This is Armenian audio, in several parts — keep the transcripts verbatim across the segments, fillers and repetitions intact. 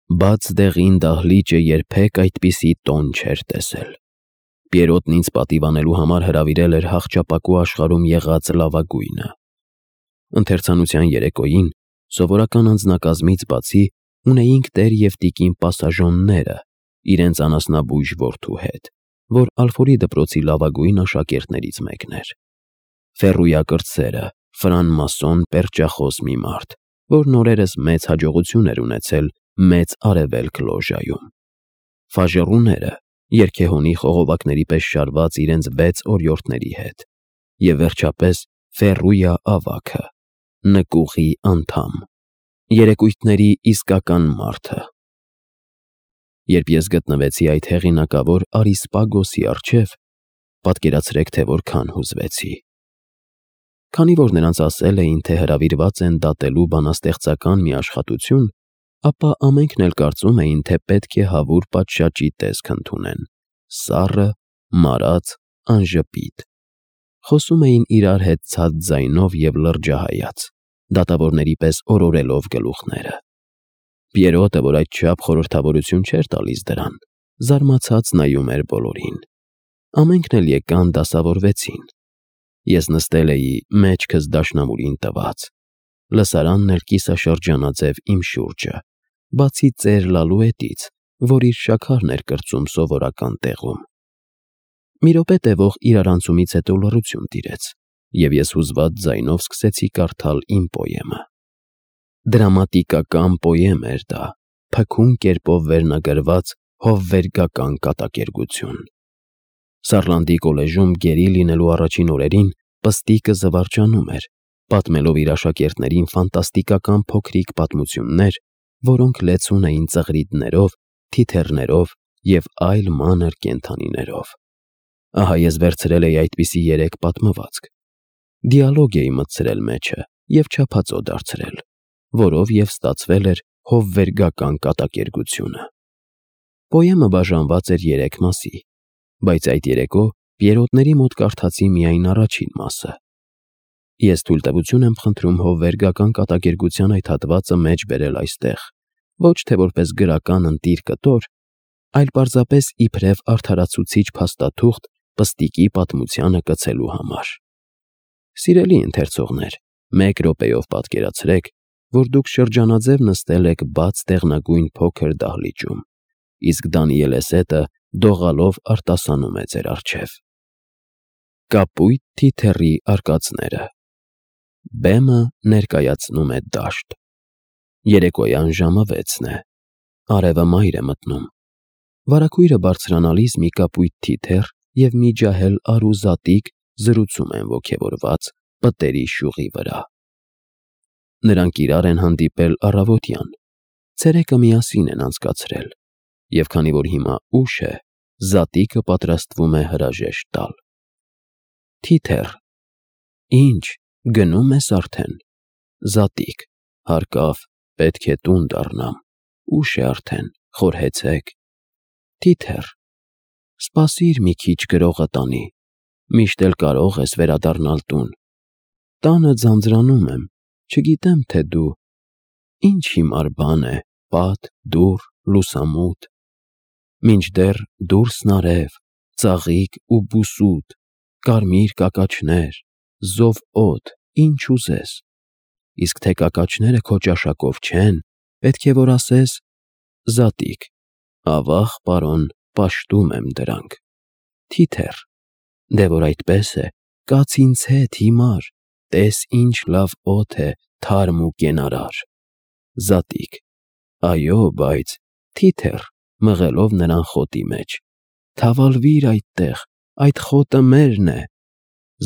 Բաց դեղին դահլիճը երբեք այդպիսի տոն չէր տեսել։ Պիերոտն ինձ պատիվանելու համար հրավիրել էր հախճապակու աշխարհում եղած լավագույնը։ Ընթերցանության երեկոյին սովորական անձնակազմից բացի ունեինք տեր և տիկին Պասաժոնները իրենց անասնաբույժ որդու հետ, որ Ալֆորի դպրոցի լավագույն աշակերտներից մեկն էր։ Ֆեռույա կրտսերը, ֆրանմասոն պերճախոս մի մարդ, որն օրերս մեծ հաջողություն էր ունեցել Մեծ Արևելք լոժայում։ Ֆաժեռուները երգեհոնի խողովակների պես շարված իրենց վեց օրիորդների հետ, և վերջապես Ֆեռույա ավագը, նկուղի անդամ, երեկույթների իսկական մարդը։ Երբ ես գտնվեցի այդ հեղինակավոր Արիսպագոսի առջև, պատկերացրեք, թե որքան հուզվեցի։ Քանի որ նրանց ասել էին, թե հրավիրված են դատելու բանաստեղծական մի աշխատություն, ապա ամենքն էլ կարծում էին, թե պետք է հավուր պատշաճի տեսք ընդունեն, սառը, մարած, անժպիտ։ Խոսում էին իրար հետ ցած ձայնով և լրջահայաց, դատավորների պես օրորելով գլուխները։ Պիերոտը, որ այդչափ խորհրդավորություն չէր տալիս դրան, զարմացած նայում էր բոլորին։ Ամենքն էլ եկան դասավորվեցին։ Ես նստել էի մեջքս դաշնամուրին տված, լսարանն էլ կիսաշրջանաձև իմ շուրջը, բացի ծեր Լալուետից, որ իր շաքարն էր կրծում սովորական տեղում։ Մի րոպե տևող իրարանցումից հետո լռություն տիրեց, և ես հուզված ձայնով սկսեցի կարդալ իմ պոեմը։ Դրամատիկական պոեմ էր դա, փքուն կերպով վերնագրված հովվերգական կատակերգություն։ Սարլանդի կոլեժում գերի լինելու առաջին օրերին պստիկը զվարճանում էր, պատմելով իր աշակերտներին ֆանտաստիկական փոքրիկ պատմություններ, որոնք լեցուն էին ծղրիդներով, թիթեռներով և այլ մանր կենդանիներով։ Ահա ես վերցրել էի այդպիսի երեք պատմվածք, դիալոգ էի մտցրել մեջը և չափածո դարձրել, որով և ստացվել էր հովվերգական կատակերգությունը։ Պոեմը բաժանված էր երեք մասի, բայց այդ երեկո պիերոտների մոտ կարդացի միայն առաջին մասը։ Ես թույլտվություն եմ խնդրում հովվերգական կատակերգության այդ հատվածը մեջ բերել այստեղ, ոչ թե որպես գրական ընտիր կտոր, այլ պարզապես իբրև արդարացուցիչ փաստաթուղթ պստիկի պատմությանը կցելու համար։ Սիրելի ընթերցողներ, մեկ րոպեով պատկերացրեք, որ դուք շրջանաձև նստել եք բաց դեղնագույն փոքր դահլիճում, իսկ Դանիելեսետը դողալով արտասանում է ձեր առջև։ Կապույտ թիթեռի արկածները։ Բեմը ներկայացնում է դաշտ։ Երեկոյան ժամը վեցն է։ Արևը մայր է մտնում։ Վարագույրը բարձրանալիս մի կապույտ թիթեռ և մի ջահել արու զատիկ զրուցում են ոգևորված պտերի շյուղի վրա։ Նրանք իրար են հանդիպել առավոտյան, ցերեկը միասին են անցկացրել, և քանի որ հիմա ուշ է, զատիկը պատրաստվում է հրաժեշտ տալ։ Թիթեռ. Ինչ, գնո՞ւմ ես արդեն։ Զատիկ. Հարկավ, պետք է տուն դառնամ, ուշ է արդեն, խորհեցեք։ Թիթեռ. Սպասիր մի քիչ գրողը տանի, միշտ էլ կարող ես վերադառնալ տուն։ Տանը ձանձրանում եմ, չգիտեմ, թե դու… Ինչ հիմար բան է, պատ, դուռ, լուսամուտ… Մինչդեռ դուրսն արև, ծաղիկ ու բուսուտ, կարմիր կակաչներ, զով օդ, ինչ ուզես… Իսկ թե կակաչները քո ճաշակով չեն, պետք է որ ասես… Զատիկ. Ավաղ, պարոն, պաշտում եմ դրանք։ Թիթեռ. Դե որ այդպես է, կաց ինձ հետ հիմար, տես ինչ լավ օդ է, թարմ ու կենարար։ Զատիկ. Այո, բայց… Թիթեռ (մղելով նրան խոտի մեջ) Թավալվիր այդտեղ, այդ խոտը մերն է։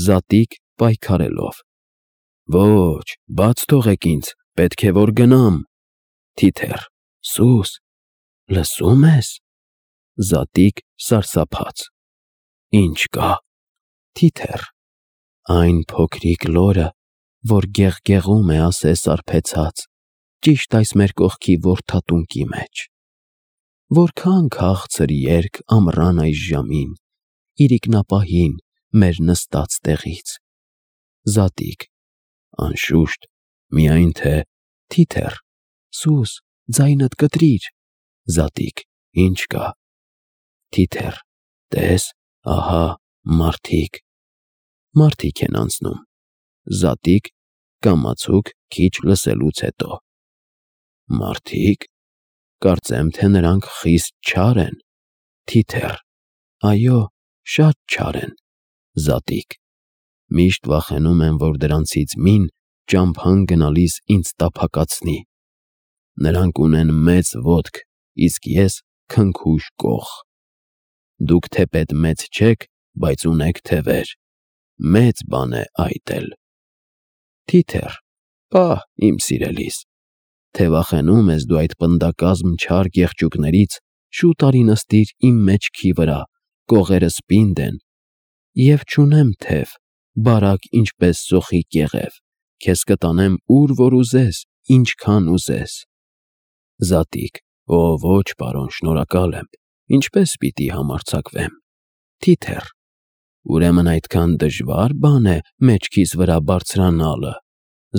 Զատիկ (պայքարելով) Ոչ, բաց թողեք ինձ, պետք է որ գնամ։ Թիթեռ. Սուս, լսո՞ւմ ես։ Զատիկ (սարսափած) Ինչ կա։ Թիթեռ. Այն փոքրիկ լորը, որ գեղգեղում է, ասես արբեցած, ճիշտ այս մեր կողքի որթատունկի մեջ։ Որքան քաղցր երգ ամռան այս ժամին, իրիկնապահին, մեր նստած տեղից։ Զատիկ. Անշուշտ, միայն թե… Թիթեռ. Սուս, ձայնդ կտրիր, Զատիկ, ինչ կա։ Թիթեռ, տես, ահա, մարդիկ։ Մարդիկ են անցնում։ Զատիկ, կամացուկ քիչ լսելուց հետո։ Մարդիկ, կարծեմ, թե նրանք խիստ չար են։ Թիթեռ, այո, շատ չար են։ Զատիկ, միշտ վախենում եմ, որ դրանցից մին ճամփան գնալիս ինձ տափակացնի։ Նրանք ունեն մեծ ոտք, իսկ ես քնքուշ կող։ Դուք թեպետ մեծ չեք, բայց ունեք թևեր։ Մեծ բան է այդ էլ։ Թիթեռ, պահ, իմ սիրելիս, թե վախենում ես դու այդ պնդակազմ չար կեղճուկներից, շուտ արի նստիր իմ մեջքի վրա, կողերս պինդ են, և չունեմ թև, բարակ ինչպես սոխի կեղև, քեզ կտանեմ ուր որ ուզես, ինչքան ուզես։ Զատիկ, օ ոչ, պարոն, շնորհակալ եմ, ինչպես պիտի համարձակվեմ։ Թիթեռ, ուրեմն այդքան դժվա՞ր բան է մեջքիս վրա բարձրանալը։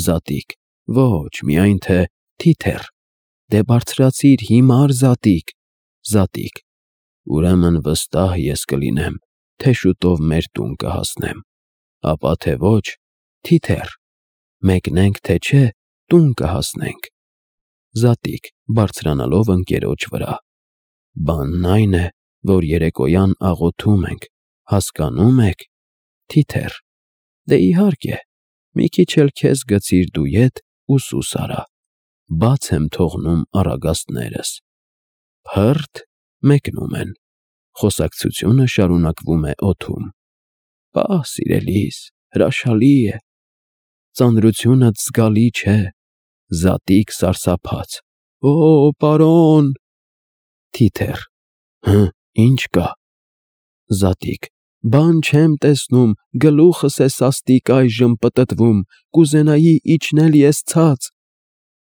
Զատիկ, ոչ, միայն թե… Թիթեռ, դե բարձրացիր հիմար, Զատիկ։ Զատիկ, ուրեմն վստահ ես կլինեմ, թե շուտով մեր տուն կհասնեմ, ապա թե ոչ… Թիթեռ, մեկնենք թե չէ, տուն կհասնենք։ Զատիկ, բարձրանալով ընկերոջ վրա, բանն այն է, որ երեկոյան աղոթում ենք, հասկանո՞ւմ եք։ Թիթեռ, դե իհարկե, մի քիչ էլ քեզ գցիր դու ետ ու սուս արա, բաց եմ թողնում առագաստներս։ Փըրթ, մեկնում են, խոսակցությունը շարունակվում է օդում։ Պահ, սիրելիս, հրաշալի է։ Ծանրությունդ զգալի չէ։ Զատիկ սարսափած, օ, պարոն… Թիթեռ, հը, ինչ կա։ Զատիկ, բան չեմ տեսնում, գլուխս է սաստիկ այժմ պտտվում, կուզենայի իջնել ես ցած։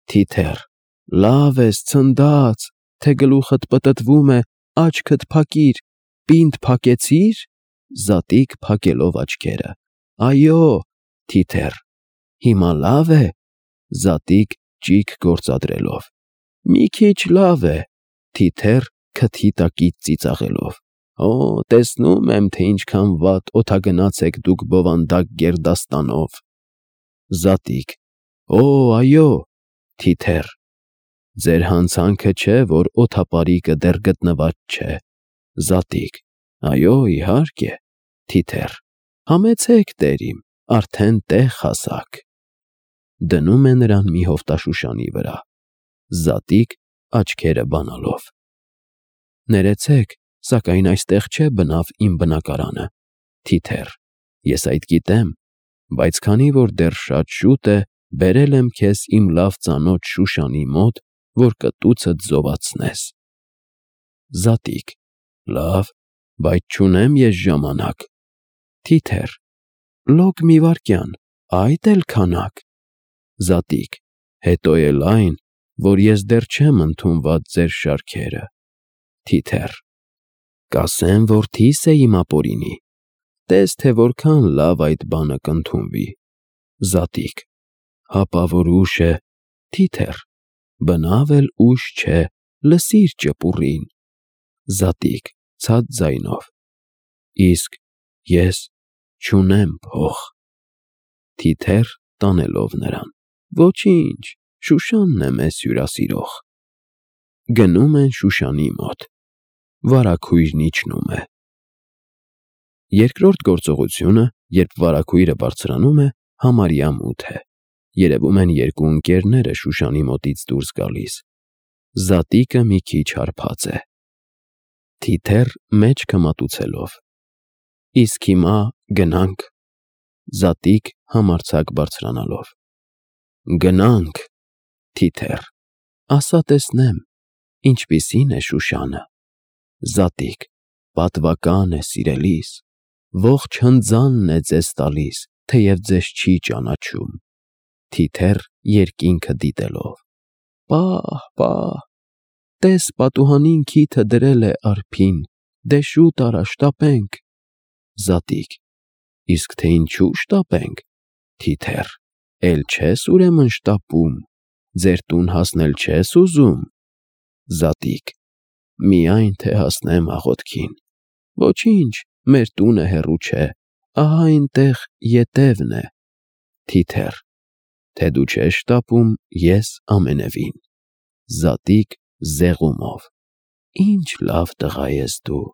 Թիթեռ, լավ ես, ցնդած, թե գլուխդ պտտվում է, աչքդ փակիր, պինդ փակեցի՞ր։ Զատիկ փակելով աչքերը, այո։ Թիթեռ, հիմա լավ է։ Զատիկ ճիգ գործադրելով, մի քիչ լավ է։ Թիթեռ քթի տակից ծիծաղելով, օ, տեսնում եմ, թե ինչքան վատ օդագնաց եք դուք բովանդակ գերդաստանով։ Զատիկ, օ, այո։ Թիթեռ, ձեր հանցանքը չէ, որ օդապարիկը դեռ գտնված չէ։ Զատիկ, այո, իհարկե։ Թիթեռ, համեցեք, տերիմ, արդեն տեղ հասաք։ Դնում է նրան մի հովտաշուշանի վրա։ Զատիկ աչքերը բանալով, ներեցեք, սակայն այստեղ չէ բնավ իմ բնակարանը։ Թիթեռ, ես այդ գիտեմ, բայց քանի որ դեռ շատ շուտ է, բերել եմ քեզ իմ լավ ծանոթ Շուշանի մոտ, որ կտուցդ զովացնես։ Զատիկ, լավ, բայց չունեմ ես ժամանակ։ Թիթեռ, լոկ մի վայրկյան, այդ էլ քանակ։ Զատիկ, հետո էլ այն, որ ես դեռ չեմ ընդունված ձեր շարքերը։ Թիթեռ, կասեմ, որդիս է իմ ապօրինի, տես թե որքան լավ այդ բանը կընդունվի։ Զատիկ, հապա որ ուշ է։ Թիթեռ, բնավ էլ ուշ չէ, լսիր ճպուռին։ Զատիկ, ցած ձայնով, իսկ ես չունեմ փող։ Թիթեռ տանելով նրան, ոչինչ, Շուշանն է մեզ հյուրասիրող։ Գնում են Շուշանի մոտ, վարագույրն իջնում է։ Երկրորդ գործողությունը, երբ վարագույրը բարձրանում է, համարյա մութ է։ Երևում են երկու ընկերները Շուշանի մոտից դուրս գալիս։ Զատիկը մի քիչ հարբած է։ Թիթեռ մեջքը մատուցելով, իսկ հիմա գնանք։ Զատիկ համարձակ բարձրանալով, գնանք։ Թիթեռ, ասա տեսնեմ, ինչպիսին է Շուշանը։ Զատիկ, պատվական է, սիրելիս, ողջ հնձանն է ձեզ տալիս, թեև ձեզ չի ճանաչում։ Թիթեռ երկինքը դիտելով, պահ, պահ, տես պատուհանին քիթը դրել է արփին, դե շուտ արա շտապենք։ Զատիկ, իսկ թե ինչու շտապենք։ Թիթեռ, էլ չես ուրեմն շտապում, ձեր տուն հասնել չես ուզում։ Զատիկ, միայն թե հասնեմ աղոթքին։ Ոչինչ, մեր տունը հեռու չէ, ահա այնտեղ ետևն է։ Թիթեռ. Թե դու չես շտապում, ես ամենևին։ Զատիկ զեղումով. Ինչ լավ տղա ես դու։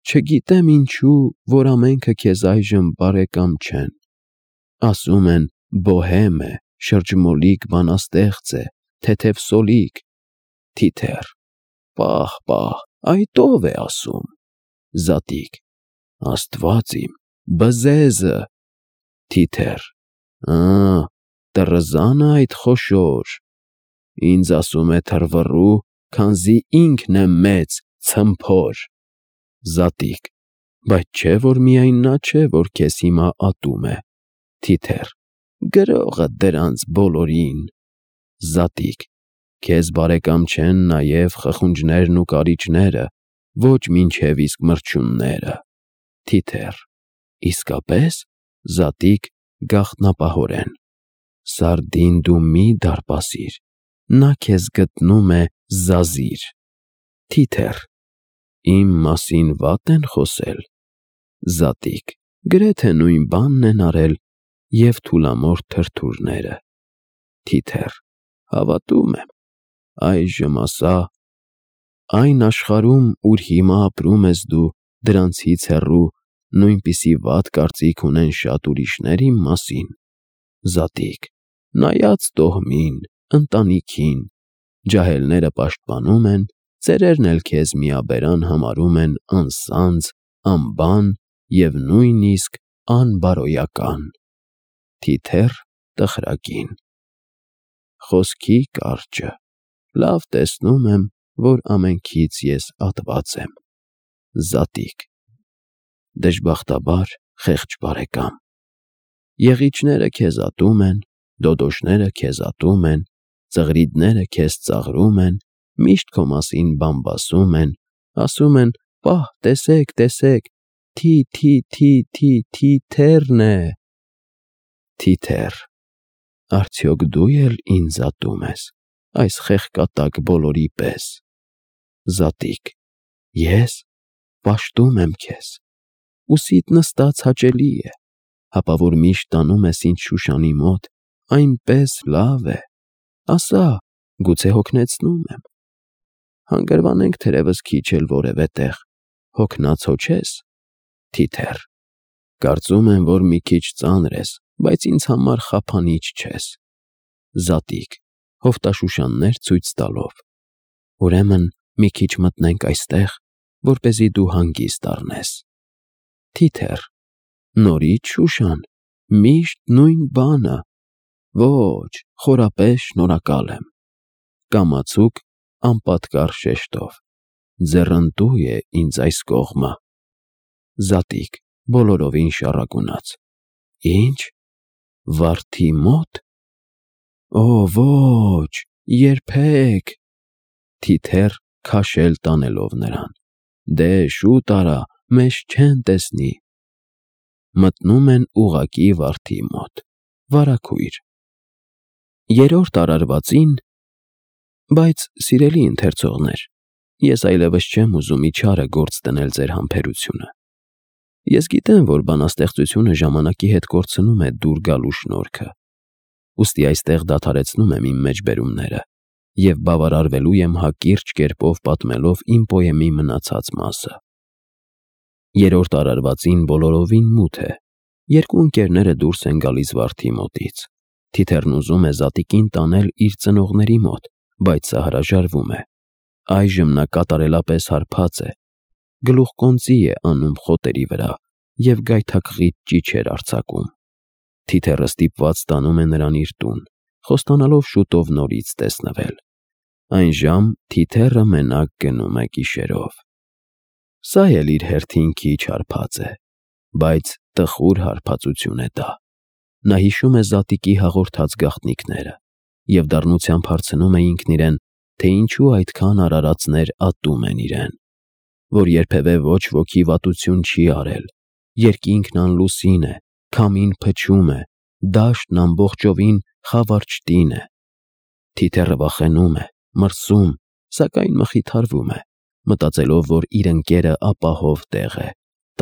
Չգիտեմ ինչու, որ ամենքը քեզ այժմ բարեկամ չեն։ Ասում են բոհեմ է, շրջմոլիկ բանաստեղծ է, թեթև սոլիկ։ Թիթեռ. Պահ, պահ, այդ ո՞վ է ասում։ Զատիկ. Աստված իմ, բզեզը։ Թիթեռ. Ա, տրզանը այդ խոշոր։ Ինձ ասում է թռվռու, քանզի ինքն է մեծ, ցմփոր։ Զատիկ. Բայց չէ որ միայն նա չէ, որ քեզ հիմա ատում է։ Թիթեռ. Գրողը դրանց բոլորին։ Զատիկ. Քեզ բարեկամ չեն նաև խխունջներն ու կարիճները, ոչ մինչև իսկ մրջյունները։ Թիթեռ. Իսկապես։ Զատիկ գաղտնապահորեն. Սարդին դու մի դարպասիր, նա քեզ գտնում է զազիր։ Թիթեռ. Իմ մասին վատ են խոսել։ Զատիկ. Գրեթե նույն բանն են արել և թուլամորթ թրթուրները։ Թիթեռ. Հավատում եմ։ Այժմ ասա. Այն աշխարհում, ուր հիմա ապրում ես դու, դրանցից հեռու, նույնպիսի վատ կարծիք ունեն շատ ուրիշներ իմ մասին։ Զատիկ. Նայած տոհմին, ընտանիքին, ջահելները պաշտպանում են, ծերերն էլ քեզ միաբերան համարում են անսանձ, անբան և նույնիսկ անբարոյական։ Թիթեռ տխրակին. Խոսքի կարճը, լավ տեսնում եմ, որ ամենքից ես ատված եմ։ Զատիկ. Դժբախտաբար, խեղճ բարեկամ, եղիջները քեզ ատում են, դոդոշները քեզ ատում են, ծղրիդները քեզ ծաղրում են, միշտ քո մասին բամբասում են, ասում են. պահ, տեսեք, տեսեք, թի, թի, թի, թի, Թիթեռն է։ Թիթեռ. Արդյոք դու էլ ինձ ատում ես, այս խեղկատակ բոլորի պես։ Զատիկ. Ես պաշտում եմ քեզ։ Ուսիդ նստած հաճելի է, հապա որ միշտ տանում ես ինձ Շուշանի մոտ, այնպես լավ է։ Ասա, գուցե հոգնեցնում եմ։ Հանգրվանենք թերևս քիչ էլ որևէ տեղ, հոգնած հո չես։ Թիթեռ. Կարծում եմ, որ մի քիչ ծանր ես, բայց ինձ համար խափանիչ չես։ Զատիկ հովտաշուշաններ ցույց տալով. Ուրեմն մի քիչ մտնենք այստեղ, որպեսզի դու հանգիստ առնես։ Թիթեռ. Նորից Շուշան, միշտ նույն բանը։ Ոչ, խորապես շնորհակալ եմ։ Կամացուկ անպատկառ շեշտով. Ձեռնտու է ինձ այս կողմը։ Զատիկ բոլորովին շառակունած. Ինչ, վարդի մոտ։ Օ, ոչ, երբեք։ Թիթեռ քաշել տանելով նրան. Դե շուտ արա, մեզ չեն տեսնի։ Մտնում են ուղղակի վարդի մոտ, վարագույր։ Երրորդ արարվածին. Բայց, սիրելի ընթերցողներ, ես այլևս չեմ ուզում իչարը գործ դնել ձեր համբերությունը։ Ես գիտեմ, որ բանաստեղծությունը ժամանակի հետ կորցնում է դուր գալու շնորհքը, ուստի այստեղ դադարեցնում եմ իմ մեջբերումները և բավարարվելու եմ հակիրճ կերպով պատմելով իմ պոեմի մնացած մասը։ Երրորդ արարվածին բոլորովին մութ է, երկու ընկերները դուրս են գալիս վարդի մոտից։ Թիթեռն ուզում է Զատիկին տանել իր ծնողների մոտ, բայց սա հրաժարվում է։ Այժմ նա կատարելապես հարբած է, գլուխկոնծի է անում խոտերի վրա և գայթակղիչ ճիչեր արձակում։ Թիթեռը ստիպված տանում է նրան իր տուն, խոստանալով շուտով նորից տեսնվել։ Այն ժամ Թիթեռը մենակ գնում է գիշերով։ Սա էլ իր հերթին քիչ հարբած է, բայց տխուր հարբածություն է դա։ Նա հիշում է Զատիկի հաղորդած գաղտնիքները և դառնությամբ հարցնում է ինքն իրեն, թե ինչու այդքան արարածներ ատում են իրեն, որ երբևէ ոչ ոքի վատություն չի արել, երկինքն անլուսին է, քամին փչում է, դաշտն ամբողջովին խավարճտին է։ Թիթեռը վախենում է, մրսում, սակայն մխիթարվում է, մտածելով, որ իր ընկերը ապահով տեղ է,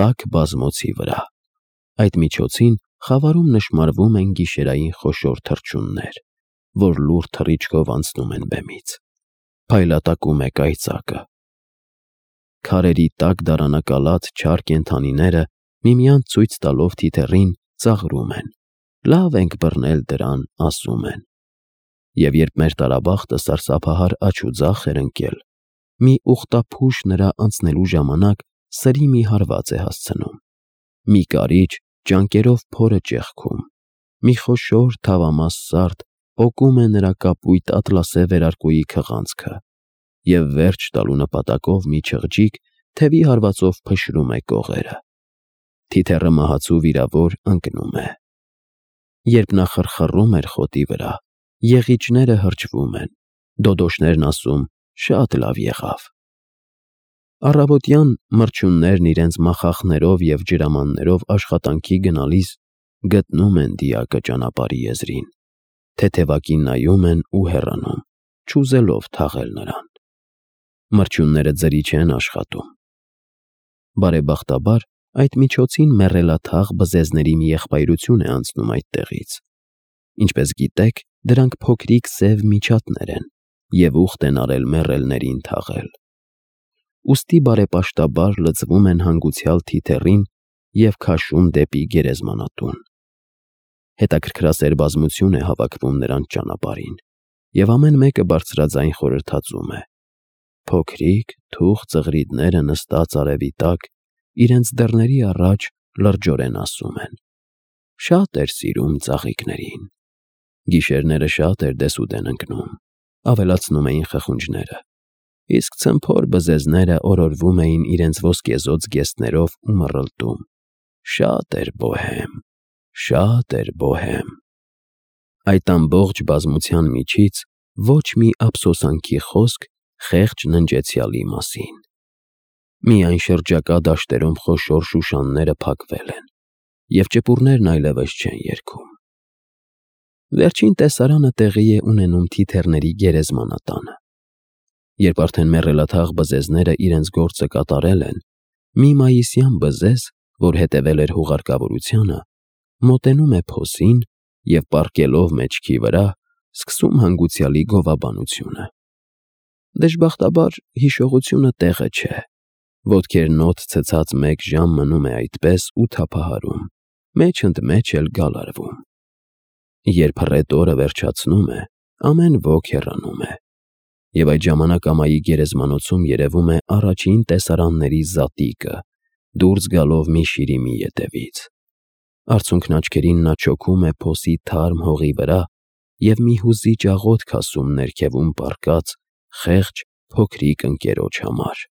տաք բազմոցի վրա։ Այդ միջոցին խավարում նշմարվում են գիշերային խոշոր թռչուններ, որ լուռ թռիչքով անցնում են բեմից։ Փայլատակում է կայծակը։ Քարերի տակ դարանակալած չար կենդանիները միմյանց ցույց տալով թիթեռին ծաղրում են։ Լավ ենք բռնել դրան, ասում են։ Եվ երբ մեր տարաբախտը սարսափահար աջ ու ձախ էր ընկել, մի ուխտափուշ նրա անցնելու ժամանակ սրի մի հարված է հասցնում, մի կարիճ ճանկերով փորը ճեղքում, մի խոշոր թավամաս սարդ պոկում է նրա կապույտ ատլասե վերարկուի քղանցքը և վերջ տալու նպատակով մի չղջիկ թևի հարվածով փշրում է կողերը։ Թիթեռը մահացու վիրավոր ընկնում է։ Երբ նա խռխռում էր խոտի վրա, եղիջները հրճվում են, դոդոշներն ասում շատ լավ եղավ։ Առավոտյան մրջյուններն իրենց մախախներով և ջրամաններով աշխատանքի գնալիս գտնում են դիակը ճանապարհի եզրին, թեթևակի նայում են ու հեռանում, չուզելով թաղել նրան։ Մրջյունները ձրի չեն աշխատում։ Բարեբախտաբար, այդ միջոցին մեռելաթաղ բզեզների մի եղբայրություն է անցնում այդտեղից։ Ինչպես գիտեք, դրանք փոքրիկ սև միջատներ են և ուխտ են արել մեռելներին թաղել։ Ուստի բարեպաշտաբար լցվում են հանգուցյալ թիթեռին և քաշում դեպի գերեզմանատուն։ Հետաքրքրասեր բազմություն է հավաքվում նրանց ճանապարհին, և ամեն մեկը բարձրաձայն խորհրդածում է։ Փոքրիկ թուխ ծղրիդները նստած արևի տակ իրենց դռների առաջ լրջորեն ասում են. «Շատ էր սիրում ծաղիկներին»։ Գիշերները շատ էր դեսուդեն ընկնում, ավելացնում էին խխունջները, իսկ ցմփոր բզեզները օրորվում էին իրենց ոսկեզօծ զգեստներով ու մռլտում. «Շատ էր բոհեմ, շատ էր բոհեմ»։ Այդ ամբողջ բազմության միջից ոչ մի ափսոսանքի խոսք խեղճ ննջեցյալի մասին։ Միայն շրջակա դաշտերում խոշոր շուշանները փակվել են, և ճպուռներն այլևս չեն երգում։ Վերջին տեսարանը տեղի է ունենում թիթեռների գերեզմանատանը։ Երբ արդեն մեռելաթաղ բզեզները իրենց գործը կատարել են, մի մայիսյան բզեզ, որ հետևել էր հուղարկավորությանը, մոտենում է փոսին և, պառկելով մեջքի վրա, սկսում հանգուցյալի գովաբանությունը։ Դժբախտաբար, հիշողությունը տեղը չէ։ Ոտքերն օդ ցցած մեկ ժամ մնում է այդպես ու թափահարում, մեջ ընդ մեջ էլ գալարվում։ Երբ հռետորը վերջացնում է, ամեն ոք հեռանում է, և այդ ժամանակ ամայի գերեզմանոցում երևում է առաջին տեսարանների զատիկը, դուրս գալով մի շիրիմի ետևից։ Արցունքն աչքերին նա չոքում է փոսի թարմ հողի վրա և մի հուզիչ աղոթք ասում ներքևում պառկած խեղճ փոքրիկ ընկերոջ համար։